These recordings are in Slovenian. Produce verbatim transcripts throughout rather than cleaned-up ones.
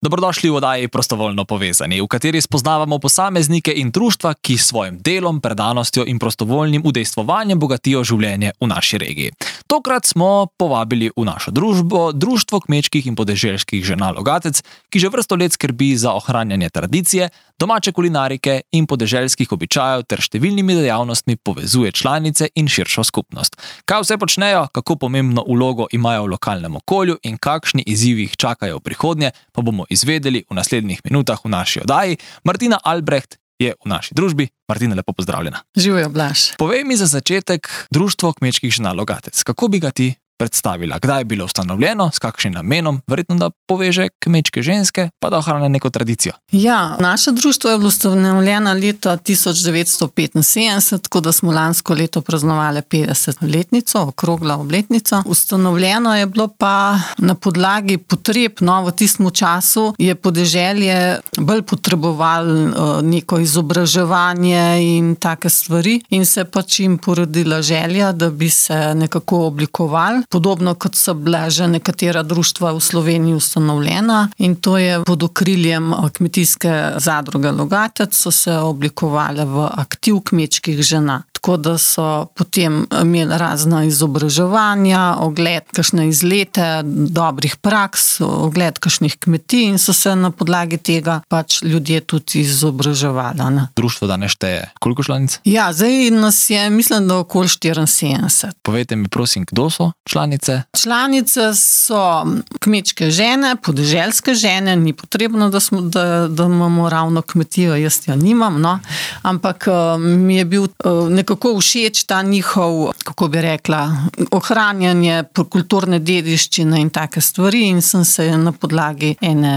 Dobrodošli v oddaji Prostovoljno povezani, v kateri spoznavamo posameznike in društva, ki s svojim delom, predanostjo in prostovoljnim udejstvovanjem bogatijo življenje v naši regiji. Tokrat smo povabili v našo družbo Društvo kmečkih in podeželskih žena Logatec, ki že vrsto let skrbi za ohranjanje tradicije, domače kulinarike in podeželskih običajev ter številnimi dejavnostmi povezuje članice in širšo skupnost. Kaj vse počnejo, kako pomembno vlogo imajo v lokalnem okolju in kakšni izzivi jih čakajo v prihodnje, pa bomo izvedeli v naslednjih minutah v naši oddaji. Martina Albreht je v naši družbi. Martina, lepo pozdravljena. Živjo, Blaž. Povej mi za začetek Društvo kmečkih žena Logatec. Kako bi ga ti predstavila? Kdaj je bilo ustanovljeno, s kakšnim namenom? Verjetno, da poveže kmečke ženske, pa da ohranja neko tradicijo. Ja, naše društvo je bilo ustanovljeno leta tisoč devetsto petinsedemdeset, tako da smo lansko leto praznovali petdesetletnico, okroglo obletnico. Ustanovljeno je bilo pa na podlagi potreb, no, v tistem času je podeželje bolj potrebovalo neko izobraževanje in take stvari in se pač jim porodila želja, da bi se nekako oblikovali. Podobno kot so bila že nekatera društva v Sloveniji ustanovljena in to je pod okriljem kmetijske zadruge Logatec so se oblikovale v aktiv kmečkih žena. Tako da so potem imeli razna izobraževanja, ogled kakšne izlete dobrih praks, ogled kakšnih kmetij in so se na podlagi tega pač ljudje tudi izobraževali. Ne? Društvo danes šteje koliko članic? Ja, zdaj nas je, mislim, da okoli štiriinsedemdeset. Povejte mi prosim, kdo so članice? Članice so kmečke žene, podeželske žene, ni potrebno, da, smo, da, da imamo ravno kmetijo, jaz jo nimam, no? Ampak mi je bil nekako všeč ta njihov, kako bi rekla, ohranjanje kulturne dediščine in take stvari in sem se na podlagi ene,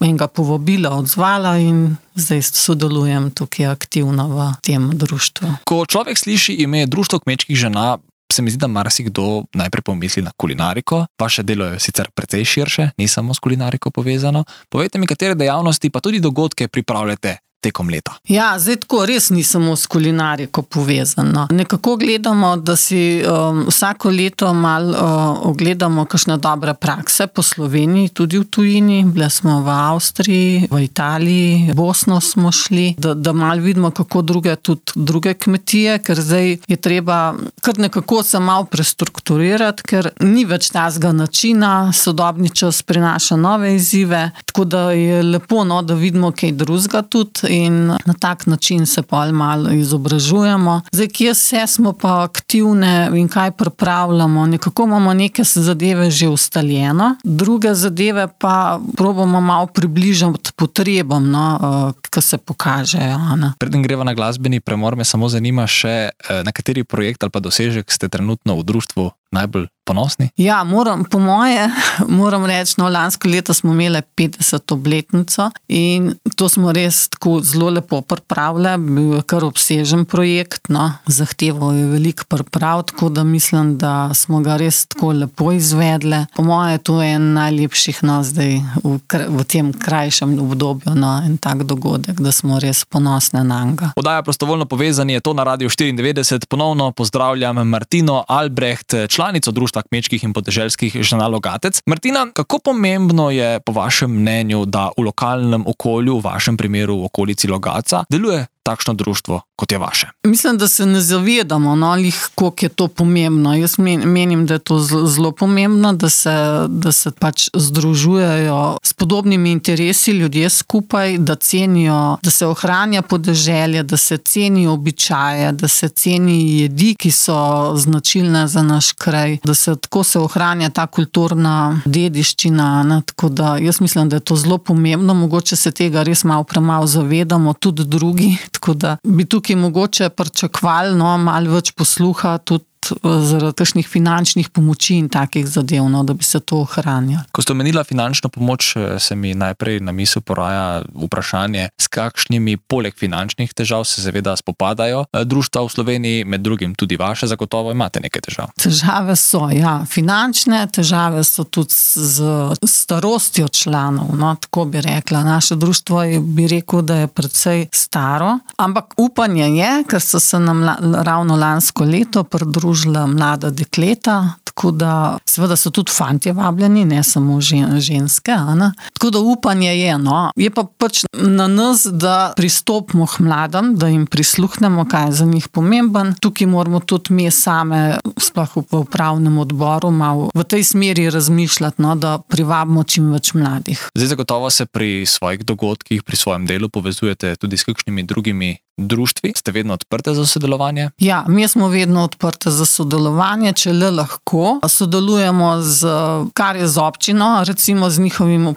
enega povabila odzvala in zdaj sodelujem tukaj aktivno v tem društvu. Ko človek sliši ime Društvo kmečkih žena, se mi zdi, da marsikdo najprej pomisli na kulinariko. Vaše delo je sicer precej širše, ni samo s kulinariko povezano. Povejte mi, katere dejavnosti pa tudi dogodke pripravljate tekom leta. Ja, zdaj tako res ni samo s kulinariko povezano. Nekako gledamo, da si um, vsako leto malo uh, ogledamo kakšne dobre prakse po Sloveniji, tudi v tujini. Bili smo v Avstriji, v Italiji, v Bosno smo šli, da, da malo vidimo, kako druge, tudi druge kmetije, ker zdaj je treba kar nekako se malo prestrukturirati, ker ni več tazga načina, sodobni čas prinaša nove izzive, tako da je lepo, no, da vidimo kaj drugega tudi in na tak način se pa malo izobražujemo. Zdaj, kje vse smo pa aktivne in kaj pripravljamo, nekako imamo neke zadeve že ustaljeno, druge zadeve pa probamo malo približati potrebam, no, ki se pokažejo. Ne. Preden greva na glasbeni premor, me samo zanima še, na kateri projekt ali pa dosežek ste trenutno v društvu najbolj ponosni? Ja, moram, po moje, moram reči, no, lansko leto smo imeli petdeseto obletnico in to smo res tako zelo lepo pripravili, bil je kar obsežen projekt, no, zahteval je veliko priprav, tako da mislim, da smo ga res tako lepo izvedli. Po moje, to je en najlepših, no, zdaj v, v tem krajšem obdobju, no, en tak dogodek, da smo res ponosni na njega. Oddaja Prostovoljno povezani je to na Radiu štiriindevetdeset. Ponovno pozdravljam Martino Albreht, članico Društva kmečkih in podeželskih žena Logatec. Martina, kako pomembno je po vašem mnenju, da v lokalnem okolju, v vašem primeru v okolici Logatca, deluje takšno društvo, kot je vaše? Mislim, da se ne zavedamo, no, lih, koliko je to pomembno. Jaz menim, da je to zelo pomembno, da se, da se pač združujejo s podobnimi interesi ljudje skupaj, da cenijo, da se ohranja podeželje, da se ceni običaje, da se ceni jedi, ki so značilne za naš kraj, da se tako se ohranja ta kulturna dediščina, ne, tako da jaz mislim, da je to zelo pomembno, mogoče se tega res malo premalo zavedamo, tudi drugi. Tako da bi tukaj mogoče pričakovali, no, malo več posluha tudi zaradi takšnih finančnih pomoči in takih zadev, no, da bi se to ohranjalo. Ko ste omenila finančno pomoč, se mi najprej na misel poraja vprašanje, s kakšnimi poleg finančnih težav se seveda spopadajo društva v Sloveniji, med drugim tudi vaše, zagotovo imate nekaj težav. Težave so, ja, finančne težave so tudi z starostjo članov, no, tako bi rekla. Naše društvo je, bi rekel, da je precej staro, ampak upanje je, ker so se nam ravno lansko leto pridružila mlada dekleta, tako tako da seveda so tudi fantje vabljeni, ne samo žen, ženske. Ne? Tako da upanje je, no. Je pa pač na nas, da pristopimo k mladim, da jim prisluhnemo, kaj je za njih pomemben. Tukaj moramo tudi mi same, sploh v upravnem odboru, malo v tej smeri razmišljati, no, da privabimo čim več mladih. Zdaj zagotovo se pri svojih dogodkih, pri svojem delu povezujete tudi s kakšnimi drugimi društvi. Ste vedno odprte za sodelovanje? Ja, mi smo vedno odprte za sodelovanje, če le lahko. Sodelujemo z, kar je z občino, recimo z njihovimi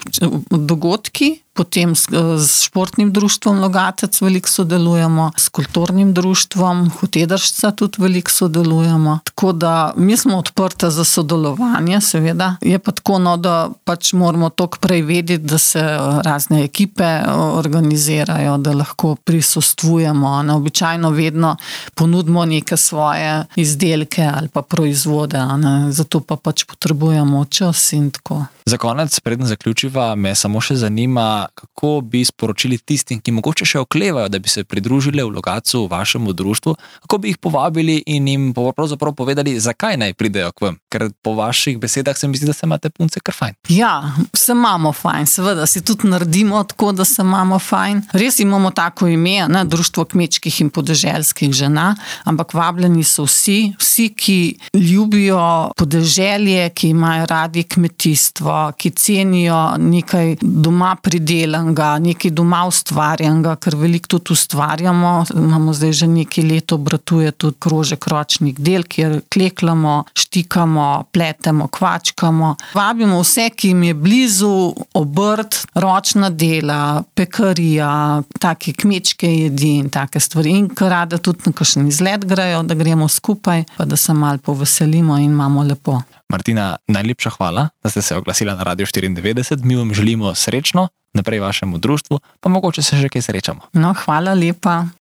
dogodki, potem s, s športnim društvom Logatec veliko sodelujemo, s kulturnim društvom Hotedršca tudi veliko sodelujemo. Tako da mi smo odprte za sodelovanje, seveda. Je pa tako, no, da pač moramo toliko prej vedeti, da se razne ekipe organizirajo, da lahko prisostvujemo. Običajno vedno ponudimo neke svoje izdelke ali pa proizvode, ne? Zato pa pač potrebujemo čas in tako. Za konec, preden zaključiva, me samo še zanima, kako bi sporočili tistim, ki mogoče še oklevajo, da bi se pridružili v Logatcu, v vašemu društvu, kako bi jih povabili in jim pravzaprav povedali, zakaj naj pridejo k vam? Ker po vaših besedah se mi zdi, da se imate punce kar fajn. Ja, se imamo fajn, seveda si tudi naredimo tako, da se imamo fajn. Res imamo tako ime, ne, Društvo kmečkih in podeželskih žena, ampak vabljeni so vsi, vsi, ki ljubijo podeželje, ki imajo radi kmetijstvo, ki cenijo nekaj doma pridelanega, nekaj doma ustvarjenega, ker veliko tudi ustvarjamo. Imamo zdaj že nekaj let obratuje tudi krožek ročnih del, kjer kleklamo, štikamo, pletemo, kvačkamo. Vabimo vse, ki jim je blizu obrt, ročna dela, pekarija, take kmečke jedi in take stvari. In kar rada tudi na kakšen izlet grejo, da gremo skupaj, pa da se malo poveselimo in imamo lepo. Martina, najlepša hvala, da ste se oglasila na Radio štiriindevetdeset. Mi vam želimo srečno naprej vašemu društvu, pa mogoče se že kaj srečamo. No, hvala lepa.